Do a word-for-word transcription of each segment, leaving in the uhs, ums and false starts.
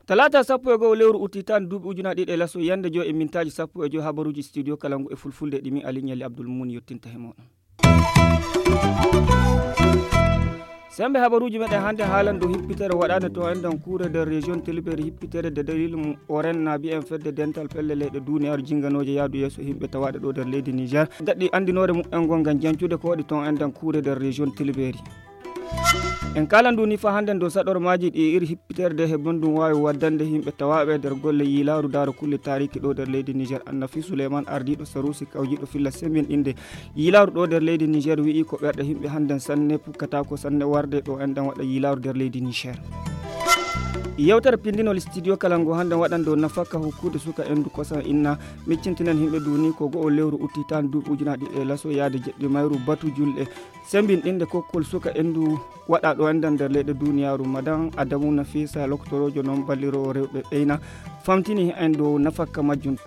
Talaata sappo e go'o lewru utti tan duuɓi ujunaaji ɗiɗi e laso yande joy e mintaaji sappo e joy, habaruuji studio kalangu e fulfulde ɗi min Aliɲali Abdul Muun yottinta he mooɗon. Sembe habaruuji meɗen hannde haalan dow hippitere waɗaande to enɗan kuure nder région Tilberi, hippitere nde dalil mum oren naabi en fedde dental pelle leyɗe duniyaaru jinganooje yaadu yeeso yimɓe tawaaɗe ɗo nder leydi Niger daɗɗi anndinoore mumen ngol ngam jancude ko waɗi to enɗan kuure nder région Tilberi. En kaalan ndu ni fa hannden dow saɗormaaji ɗi iri hippitere nde heɓon ɗum waawi waddande yimɓe tawaaɓe nder golle yiilaaru daaro kulle taariki ɗo nder leydi Niger. Annafi Suleyman, ardiiɗo Saruusi kawjiiɗo filla sembinɗinde yiilaaru ɗo nder leydi Niger, wi'i ko ɓerɗe yimɓe hannden sanne pukkataako sanne warde ɗo enɗan waɗa yiilaaru nder leydi Niger. Yewtere pindinol studio kalangu hannden waɗan dow nafaka hokkude suka endu kosan inna, miccintinen yimɓe duni ko go'o lewru utti tan duuɓi ujunaaji ɗiɗi e laso yaade jeɗɗi mayru batu julɗe sembinɗinde kokkol suka endu waɗa ɗo enɗan nder leyɗe duniyaaru. Madan Adamu Nafisa, loktoroojo non balliroowo rewɓe ɓeyna, famtini en dow nafakka majjum.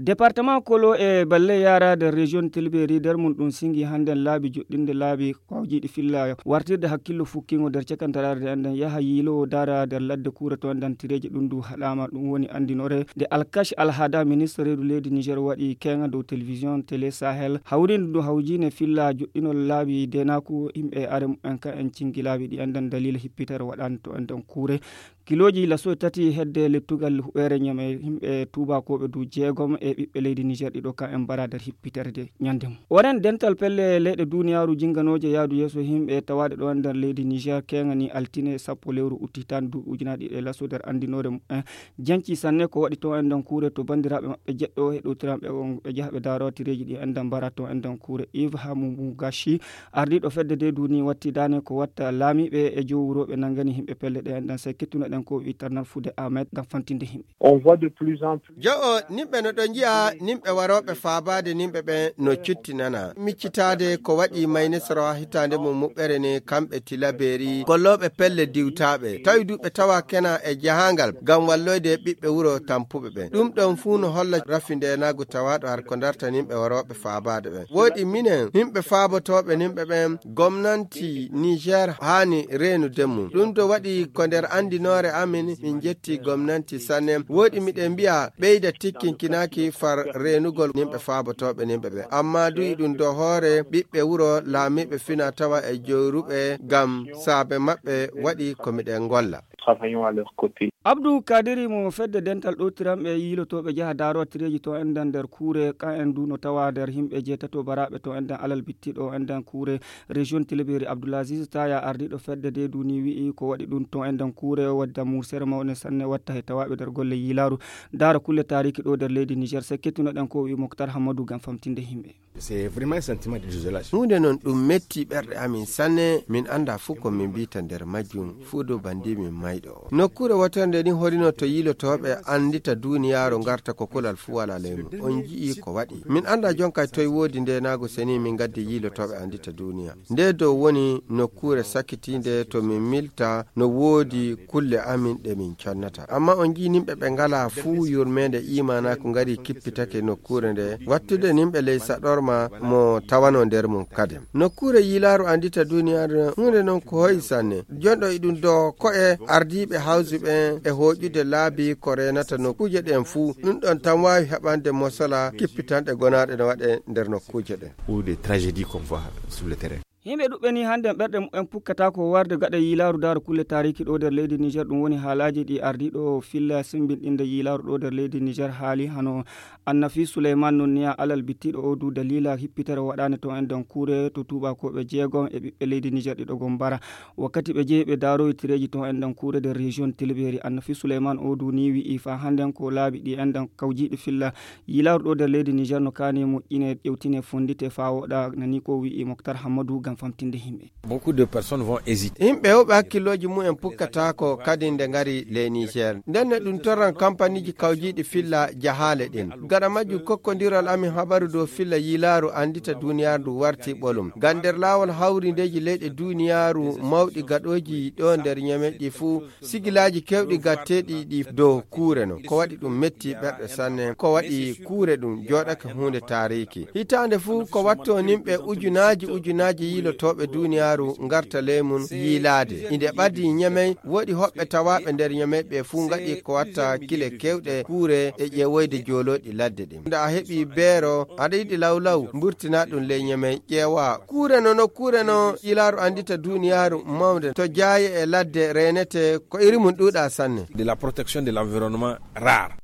Département Kolo e Balle Yara nder région Tilberi nder mum ɗum singi hannden laabi joɗɗinde laabi kawjiiɗi filla wartirde hakkillo fukkingo nder cakantaraare nde enɗan yaha yiilowo daara nder ladde kuure to enɗan tireeji ɗum ndu haɗaama. Ɗum woni anndinore nde Alkash Alhada, ministre reedu leydi Niger, waɗi keŋa dow télévision Télé Sahel hawriinde ndu hawjiine filla joɗɗinol laabi denaaku yimɓe are mumen ka en cingi laabi ɗi enɗan dalila hippitere waɗaande to enɗan kuure. Kilooji laso tati hedde lettugal huɓeere ñame yimɓe tuubakooɓe du jeegom e ɓiɓɓe leydi Niger ɗiɗo ka en mbara nder hippitere nde ñande mum. Oren dental pelle leyɗe duniyaaru jinganooje yaadu yeeso yimɓe tawaaɗe ɗo nder leydi Niger keŋani altine sappo lewru utti tan duuɓi ujunaaji ɗiɗi e laso nder anndinoore mumen janci sanne ko waɗi to enɗan kuure to banndiraaɓe maɓɓe jeɗɗo heɗotiranɓe on ɓe jaha ɓe daaro tireeji ɗi enɗan mbara to enɗan kuure. Yves Hamumu Gashi, ardiiɗo fedde nde duni watti daane ko watta laamiiɓe e jowwurooɓe nanngani yimɓe pelle ɗe enɗan sey kettunoɗen ko wi Tarnal Fude Ahmed ngam fantinde yimɓe. On voit de plus en plus. Jo'o, nimɓe no ɗo nji'a nimɓe warooɓe faabaade nimɓe ɓen no cuttinana. Miccitaade ko waɗi maynisoro hitaande mum muɓɓere ni kamɓe Tilabeeri, gollooɓe pelle diwtaaɓe. Tawi du ɓe tawa kena e jahaangal ngam walloyde ɓiɓɓe wuro tampuɓe ɓen. Ɗum ɗon fuu no holla rafi ndeenaagu tawaaɗo har ko darta nimɓe warooɓe faabaade ɓen. Woodi minen, yimɓe faabotooɓe nimɓe ɓen, gomnanti Niger haani reenude mum. Ɗum ɗo waɗi ko nder anndinoore amin, min njetti gomnanti sanne. Woodi miɗen mbi'a ɓeyda tikkinkinaaki far reenugol yimɓe faabotooɓe yimɓe ɓe. Amma du iɗum do hoore ɓiɓɓe wuro laamiiɓe fina tawa e jooruɓe ngam saabe maɓɓe waɗi ko miɗen ngolla. Travaillons à leur côté. Abdou Kadiri mo fedde dental ɗowtiranɓe yiilotooɓe jaha daaro tireeji to enɗan nder kuure, ka en du no tawa nder yimɓe jeetato baraaɓe to enɗan alal bittiɗo enɗan kuure région Tilaberi. Abdoulaziz Taya, ardiiɗo fedde nde duni, wi'i ko waɗi ɗum to enɗan kuure wadda mursere mawne sanne watta he tawaaɓe nder golle yiilaaru daaro kulle taariki ɗo nder leydi Niger. Sey kettunoɗen ko wi'i Moktar Hammadou ngam famtinde yimɓe. C'est vraiment un sentiment de désolation. Huunde non ɗum metti ɓerɗe amin sanne, min annda fuu ko min mbiyta nder majjum, fuu dow banndi min mayɗo. Nokkuure wotore nde ni horino to yiilotooɓe anndita duuniyaaru ngarta ko kulal fuu walaa ley mum. On nji'i ko waɗi. Min annda jonkay toy woodi ndeenaagu seni min ngaddi yiilotooɓe anndita duuniya. Nde dow woni nokkuure sakkitiinde to min milta no woodi kulle amin ɗe min connata. Amma on nji'i nimɓe ɓe ngalaa fuu yurmeende iimaanaaku ngari kippitake nokkuure nde, wattude nimɓe ley saɗorma mo tawano nder mum kadin. Nokkuure yiilaaru anndita duuniyaaru huunde non ko hoyi sanne. Jonɗo e ɗum do ko'e ardiiɓe hawsi ɓen e hooƴude laabi ko reenata nokkuuje ɗen fuu. Ɗum ɗon tan waawi haɓande mosola kippitanɗe gonaaɗe no waɗe nder nokkuuje ɗen. Ou des tragédies qu'on voit sur le terrain. Yimɓe ɗuɓɓe ni hannden ɓerɗe mumen pukkataako warde gaɗa yiilaaru daaro kulle taariki ɗo nder leydi Niger. Ɗum woni haalaaji ɗi ardiiɗo filla simbinɗinde yiilaaru ɗo nder leydi Niger haali hano Annafi Suleyman non niya alal bittiɗo o du daliila hippitere waɗaande to enɗan kuure to tuubakooɓe jeegom e ɓiɓɓe leydi Niger ɗiɗo gom mbara. Wakkati ɓe jehi ɓe daaroyi tireeji to enɗan kuure nder région Tilaberi, Annafi Suleyman o du ni wi'i fa hannden ko laabi ɗi enɗan kawjiiɗi filla yiilaaru ɗo nder leydi Niger no kaani moƴƴine ƴewtine fonndite fa woɗa nani ko wi'i Moktar Hammadou Gam. Famtinde yimɓe. Beaucoup de personnes vont hésiter. Yimɓe heewɓe hakkillooji mumen pukkataako kadi nde ngari ley Niger. Ndenne ɗum torran kampaniiji kawjiiɗi filla jahaale ɗen. Gaɗa majjum kokkondiral amin habaru dow filla yiilaaru anndita duuniyaaru ndu warti ɓolum. Ngam nder laawol hawrindeeji leyɗe duuniyaaru mawɗi gaɗooji ɗo nder ñameeji fuu, sigilaaji keewɗi gatteeɗi ɗi dow kuure no. Ko waɗi ɗum metti ɓerɗe sanne. Ko waɗi kuure ɗum jooɗake huunde taariiki. Hitaande fuu ko watto nimɓe ujunaaji ujunaaji yiilotooɓe duuniyaaru ngarta ley mum yiilaade. Inde ɓadii ñamey, woɗi hoɓɓe tawaaɓe nder ñamey ɓe fuu ngaɗi ko watta kile keewɗe kuure e ƴeewoyde joolooɗi ladde ɗin. Nde a heɓi beero, aɗa yiɗi lawlaw, mburtina ɗum ley ñamey, ƴeewa. Kuure no, no kuure no, yiilaaru anndita duuniyaaru mawnde. To jaaye e ladde reenete, ko iri mum ɗuuɗa sanne. De la protection de l'environnement rare.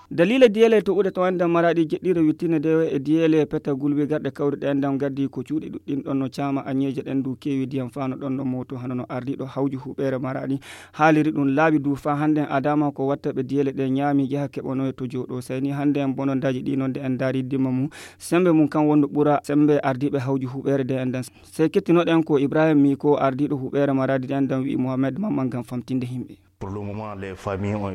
Daliila diyeele to uɗe to enden maraɗi jeɗɗiire wittine de e diyeele peta gulbi garɗe kawriɗe enden gaddi ko cuuɗi ɗuɗɗin ɗon no caama añeeje ɗen du keewi diyam fano ɗon no moto hano no ardiɗo hawju huɓeere maraɗi haaliri ɗum laaɓi du fa hande adama ko watta ɓe diyeele ɗe ñaami jaha keɓanoye to jooɗo sayni hande en bonondaji ɗi noon de en daari dimma mum sembe mum kan wondu ɓura sembe ardiɓe hawju huɓeere de enden. Sey kettinoɗen ko Ibrahim Miko ardiɗo huɓeere maraɗi de enden wi Mohamed Mamman ngam famtinde yimɓe.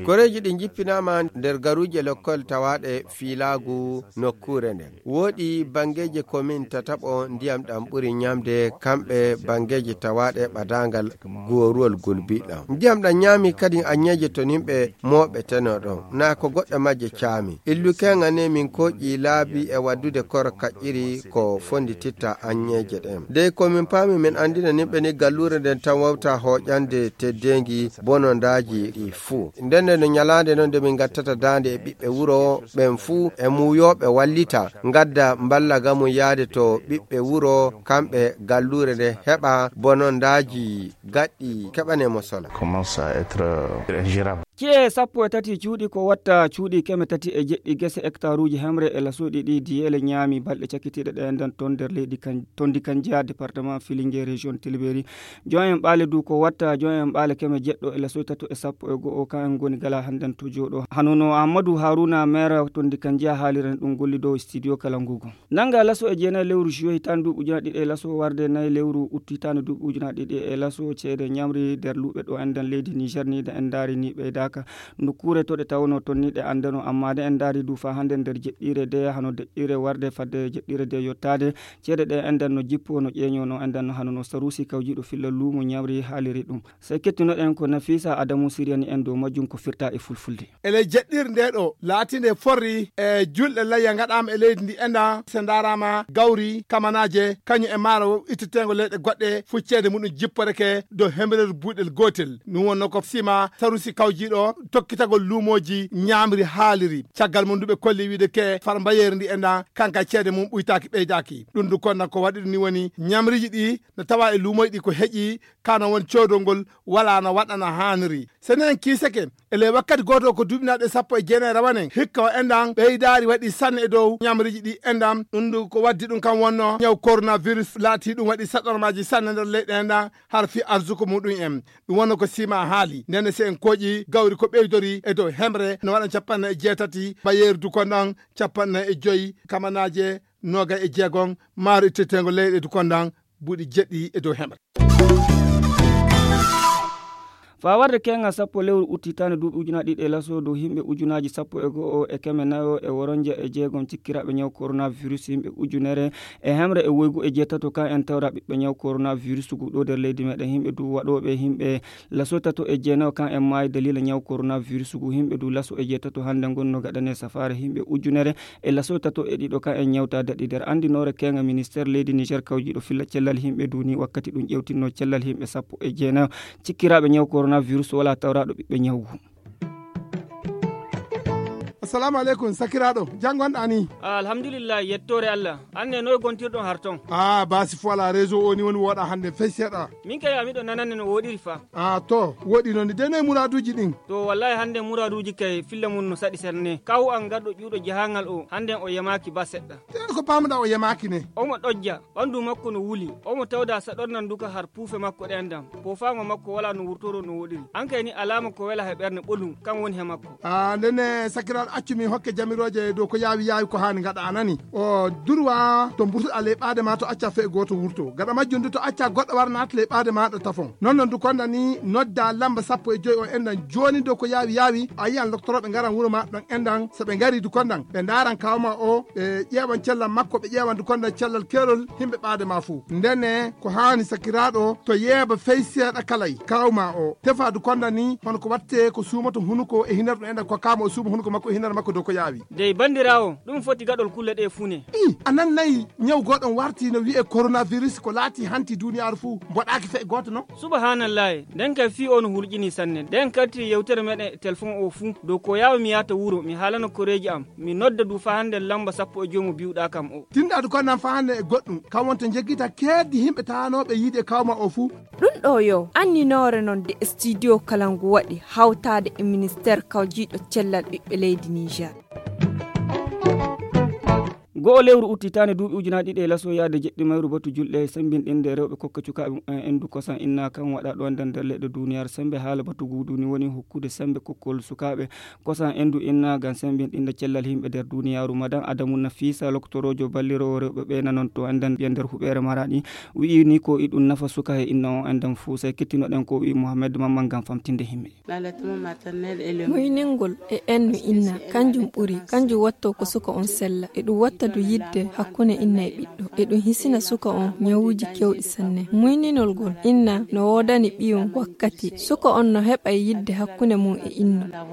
Koreeji ɗi njippinaama nder garuuje lekkol tawaaɗe fiilaagu nokkuure nden. Wooɗi banngeeji komin tataɓo ndiyam ɗam ɓuri ñaamde kamɓe banngeeji tawaaɗe ɓadaangal gooruwol gulbi ɗam. Ndiyam ɗam ñaami kadi aññeeje to nimɓe mooɓe teno ɗon. Naa ko goɗɗe majje caami. Illu keŋa ne min kooƴi laabi e waddude koro kaƴƴiri ko fondititta aññeeje ɗen. Dey ko min paami min anndina nimɓe ni galluure nden tan wawta hooƴande teddeengi bonondaaji ɗi fuu. Ndenne no ñalaande non nde min ngattata daande e ɓiɓɓe wuro ɓen fuu e muuyooɓe wallita ngadda mballa ga mum yaade to ɓiɓɓe wuro kamɓe galluure nde heɓa bonondaaji gaɗɗi keɓane mo sola. Commence à être ingérable. Ci'e sappo e tati cuuɗi ko watta cuuɗi keme tati e jeɗɗi gese hectaruuji hemre e lasuuɗi ɗi diyeele ñaami balɗe cakkitiiɗe ɗe nden ton nder leydi kan tondi kan jeyaa département Filinge région Tilberi. Joom en ɓaale du ko watta joom en ɓaale keme jeɗɗo e lasuuɗi tato e sappo e go'o kan en ngoni gala hannden to jooɗo. Hano no Amadou Haruna maire tondi kan jeyaa haaliren ɗum golli dow studio kala ngugo. Nannga laso e jeenayi lewru juwe hitaande duuɓi ujunaaji ɗiɗi e laso warde nayi lewru uttu hitaande duuɓi ujunaaji ɗiɗi e laso ceede ñamri nder luuɓe ɗo enɗen leydi Niger ni da en ndaari ni ɓeydaaka. Nokkuure to ɗe tawnoo toon ni ɗe anndanoo amma de en ndaari du faa hannde nder jeɗɗiire de hano deƴƴiire warde fadde jeɗɗiire de yottaade ceede ɗe enɗen no jippoo no ƴeeñoo no enɗen no hano no Saruusi kawjiiɗo filla luumo ñamri haaliri ɗum. Sey kettinoɗen ko Nafisa Adamu siryani en dow majjum ko firta e fulfulde. E ley jeɗɗirde nde ɗo laatinde forri e julɗe layya ngaɗaama e leydi ndi enɗan so ndaaraama gawri kamanaaje kañum e maaro itteteengo leyɗe goɗɗe fuu ceede muɗum jipporeke dow hembereeru buuɗel gootel. Ɗum wonno ko sima Saruusi kawjiiɗo tokkitagol luumooji ñaamri haaliri. Caggal mum ndu ɓe kolli wiide ke far mbayeeri ndi enɗan kanka ceede mum ɓuytaaki ɓeydaaki. Ɗum du konnan ko waɗi ɗum ni woni ñamriiji ɗi no tawa e luumooji ɗi ko heƴi kano won coodol ngol wala no waɗana haaniri. So en kiisake e ley wakkati gooto ko duuɓinaaɗe sappo e jeenayi rawanen hikka o enɗan ɓeydaari waɗi sanne e dow ñamriiji ɗi enɗan ɗum du ko waddi ɗum kam wonno ñaw coronavirus laati ɗum waɗi saɗormaaji sanne nder leyɗe enɗan har fii arsuko muɗum en. Ɗum wonno ko sima haali ndenne so en kooƴi gawri ko ɓeydori e dow hemre no waɗan capanɗe e jeetati mbayeeri du konɗan capanɗe e joyi kamanaaje noogay e jeegom maaro itteteengo leyɗe du konɗan buuɗi jeɗɗi e dow hemre. Faa warde keeŋa sappo lewru utti hitaande duuɓi ujunaaji ɗiɗi e laso dow yimɓe ujunaaji sappo e go'o e keme nayo e woronje e jeegom cikkiraaɓe ñaw coronavirus yimɓe ujunere e hemre e woygu e jeetato kan en tawra ɓiɓɓe ñaw coronavirus gu ɗo nder leydi meɗen yimɓe du waɗooɓe yimɓe laso tato e jeenayo kan en maayi daliila ñaw coronavirus gu yimɓe du laso e jeetato hannde ngon no gaɗane safaare yimɓe ujunere e laso tato e ɗiɗo kan en ñawta daɗi nder anndinoore keeŋa ministeer leydi Niger kawjiiɗo filla cellal yimɓe du ni wakkati ɗum ƴewtinno cellal yimɓe sappo e jeenayo cikkiraaɓe ñaw coronavirus wala tawraaɗo ɓiɓɓe ñaw gu. Assalamu aleykum sakiraaɗo, jam ngonɗa ni? Alhamdulillahi yettoore Allah. Anne noy gontirɗon har ton? Ah basi fo ala réseau o ni woni wooɗa hannde fey seeɗa. Min kay a miɗo nanande no wooɗiri fa. Ah to wooɗi noon de noy muraaduuji ɗin? To wallahi hannde muraaduuji kay filla mum no saɗi serne kaw an garɗo ƴuuɗo jahangal o hannden o yemaaki ba seɗɗa. Te ko paamuɗa o yemaaki ne? Omo ɗojja ɓanndu makko no wuli omo tawda saɗornan duka har puufe makko ɗen dam poofaango makko wala no wurtoro no wooɗiri an kay ni alaama ko wela he ɓernde ɓolum kan woni he makko. Ah ndenne sakiraaɗo. Accu min hokke jamirooje dow ko yaawi yaawi ko haani ngaɗa a nani. O durwa to mburtuɗa ley ɓaade ma to acca fe'e gooto wurto. Gaɗa majjum du to acca goɗɗo wara naata ley ɓaade maaɗa tafon. Non non du konda ni nodda lamba sappo e joy on endan jooni dow ko yaawi yaawi a yiyan loktorooɓe ngaran wuro ma ɗon endan so ɓe ngari du kondan ɓe ndaaran kawma o ɓe ƴeewan cellal makko ɓe ƴeewan du kondan cellal keerol himɓe ɓaade ma fuu. Ndene ko haani sakiraaɗo to yeeba fey seeɗa kalay kawma o tefa du kondan ni hono ko watte ko suumoto hunuko e hinar ɗum endan ko kama o suuma hunuko makko e hinar makko dow ko yaawi. Dey banndiraawo, ɗum foti gaɗol kulle ɗee fuu ne. I a nannayi ñaw gooɗon warti no wi'ee coronavirus ko laati hanti duuniyaaru fuu mboɗaaki fe'e gooto non. Subahanallahi, nden kay fii o no hulƴinii sanne. Nden kartiri yewtere meɗen e telefon o fuu dow ko yaawi mi yaata wuro mi haalana koreeji am, mi nodda du faa hannden lamba sappo e joy mo bi'uɗaa kam o. Tinɗaadu ko nan faa hannden e goɗɗum kam wonto njeggita keeddi himɓe taanooɓe yiide e kawma o fuu. Ɗum ɗo yo anninoore non de studio kala ngu waɗi hawtaade e ministeer kawjiiɗo cellal ɓiɓɓe leydi Niger. Go'o lewru uttitaande duuɓi ujunaaji ɗiɗi e laso yaade jeɗɗi mayru batu julɗe sembinɗinde rewɓe kokka cukaaɓe mumen endu kosan inna kan waɗa ɗo nder nder leɗɗe duniyaaru sembe haala batu guudu ni woni hokkude sembe kokkol sukaaɓe kosan endu inna ngam sembinɗinde cellal yimɓe nder duniyaaru. Madan Adamu Nafisa loktoroojo balliroowo rewɓe ɓe nanon to enden ɓiya nder huɓeere maraɗi wi'i ni ko iɗum nafa suka e inna on enden fuu sey kettinoɗen ko wi'i Mohammed Mamman ngam famtinde yimɓe. Muyningol e ennu inna kanjum ɓuri kanjum watto ko suka on sella e ɗum watta du yidde hakkunde inna e ɓiɗɗo e ɗum hisina suka on ñawuuji kewɗi sanne. Muyninol ngol inna no woodani ɓiyum wakkati suka on no heɓa yidde hakkunde mum e inna.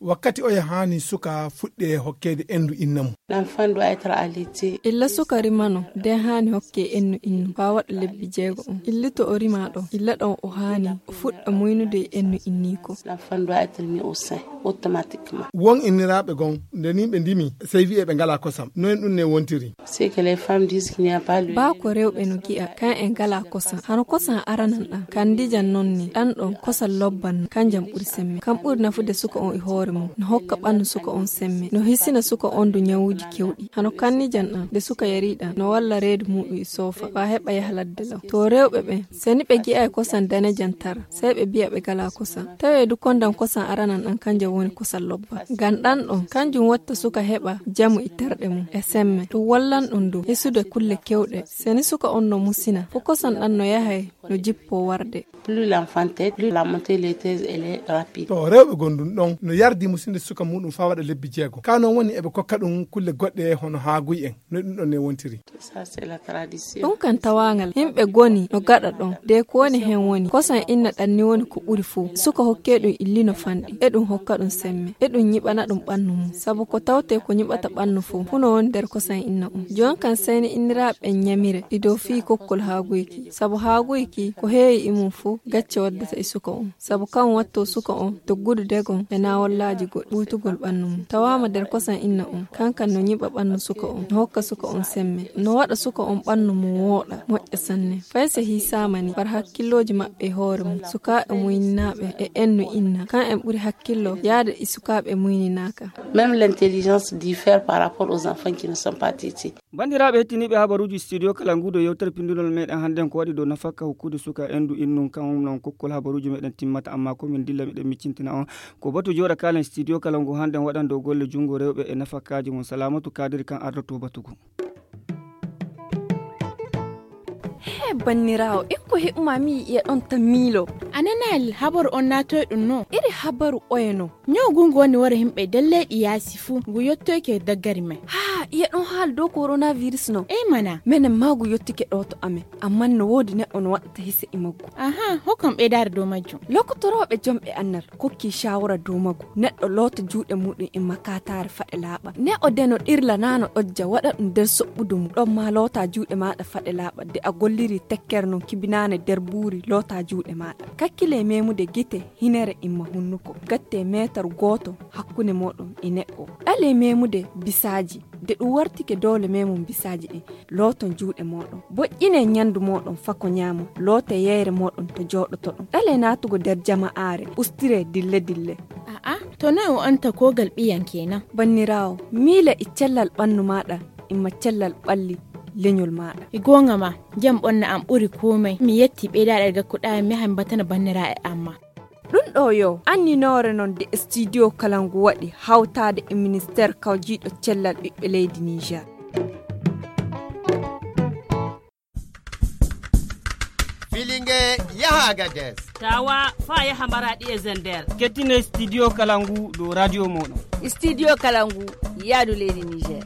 Wakkati oya haani suka fuɗɗe hokkeede endu inna mum. Illa suka rimano nden haani hokke ennu innu faa waɗa lebbi jeego on illito o rima ɗon illa ɗon o haani o fuɗɗa muynude e ennu inniiko. Won inniraaɓe gon nde ni ɓe ndimi sey wi'e ɓe ngalaa kosam noyen ɗum ne wontiri. Baa ko rewɓe no gi'a kan e ngalaa kosam hano kosam aranan ɗan kandijan non ni ɗan ɗon kosam lobban no kanjam ɓuri semme kan ɓuri nafude suka on e hoore mum no hokka ɓannu suka on semme no hisina suka on du ñawuuji kewɗi hano kannijan ɗan nde suka yari ɗan no walla reedu muɗum e soofa faa heɓa yaha ladde law. To rewɓe ɓen seni ɓe gi'ay kosam danejan tara sey ɓe bi'a ɓe ngalaa kosam tawee du kondan kosam aranan ɗan kanjam woni kosam lobban ngam ɗan ɗon kanjum watta suka heɓa jamu e terɗe mum e semme ɗum wallan ɗum du hisude kulle kewɗe seni suka on no musina fo kosam ɗan no yahay no jippoo warde. To rewɓe gondun ɗon no yardi musinde suka muɗum faa waɗa lebbi jeego kaa non woni eɓe kokka ɗum kulle goɗɗe hono haaguy en no ɗum ɗon ne wontiri. Ɗum kan tawaangal yimɓe goni no gaɗa ɗon de ko woni heen woni kosam inna ɗan ni woni ko ɓuri fuu suka hokkee ɗum illi no fanɗi e ɗum hokka ɗum semme e ɗum ñiɓana ɗum ɓannu mum sabu ko tawtee ko ñiɓata ɓannu fuu fuu no woni nder kosam inna on jooni kan seyni inniraaɓe ɓen ñamire ɗi dow fii kokkol haaguyki sabu haaguyki ko heewi e mum fuu gacce waddata e suka on sabu kan wattoo suka on doggudu degon e naawollaaji goɗɗi ɓuytugol ɓannu mum tawaama nder kosam inna on kankan no ñiɓa ɓannu suka on no hokka suka on semme no waɗa suka on ɓannu mum wooɗa moƴƴa sanne fay so hiisaama ni war hakkillooji maɓɓe e hoore mum sukaaɓe muyninaaɓe e ennu inna kan en ɓuri hakkillo yaade e sukaaɓe muyninaaka. Même l'intelligence diffère par rapport aux enfants qui ne sont pas tétés. Banndiraaɓe hettiniiɓe habaruuji studio kala nguudo yewtere pindunol meɗen hannden ko waɗi dow nafakka hokkude suka endu innun kan non kokkol habaruuji meɗen timmata amma ko min dilla miɗen miccintina on ko batu jooɗa kaalen studio kala ngu hannden waɗan dow golle junngo rewɓe e nafakkaaji mum salamatu kadiri kan ardoto batugu. He banniraawo en ko heɓuma mi yi'e ɗon ta miilo. A nanaali habaru on naatoy ɗum no? Iri habaru oye no? Ñaw ngu ngu woni wara himɓe nder leyɗi yaasi fuu ngu yottoyke daggari men. Haa iye ɗon haali dow coronavirus no? Ey mana. Menen maa ngu yottike ɗo to amen amman no woodi neɗɗo no waɗata hise e maggu. Aha hokkam ɓeydaare dow majjum. Lokotorooɓe jomɓe annal kokki shawara dow maggu neɗɗo loota juuɗe muɗum e makataare faɗe laaɓa neɗɗo deno ɗirla naano ɗojja waɗa ɗum nder soɓɓudu mum ɗon ma loota juuɗe maaɗa faɗe laaɓa de a golliri tekkere non kibinaane nder buuri loota juuɗe maaɗa kakkile memude gite hinere imma hunnuko gatte meetar gooto hakkunde mooɗon e neɗɗo ɗale memude bisaaji de ɗum wartike doole memum bisaaji ɗin looton juuɗe mooɗon boƴƴine ñandu mooɗon fako ñaamo loote yeyre mooɗon to jooɗotoɗon ɗale naatugo nder jama'aare ustire dille dille. A'a to noy o anta kogal ɓiyan kenan. Banniraawo miila e cellal ɓannu maaɗa imma cellal ɓalli leñol maaɗa. E goonga ma jam ɓonna am ɓuri komai mi yetti ɓeydaɗe gakkuɗa mi yaha mi batana banniraaɓe am ma. Ɗum ɗo yo anninoore noon de studio kala ngu waɗi hawtaade e ministeer kawjiiɗo cellal ɓiɓɓe leydi Niger. Filinge yaha Agades. Tawa fa yaha Maradi e Zender. Kettine studio kala ngu ɗo radio moɗon. Studio kala ngu yaadu leydi Niger.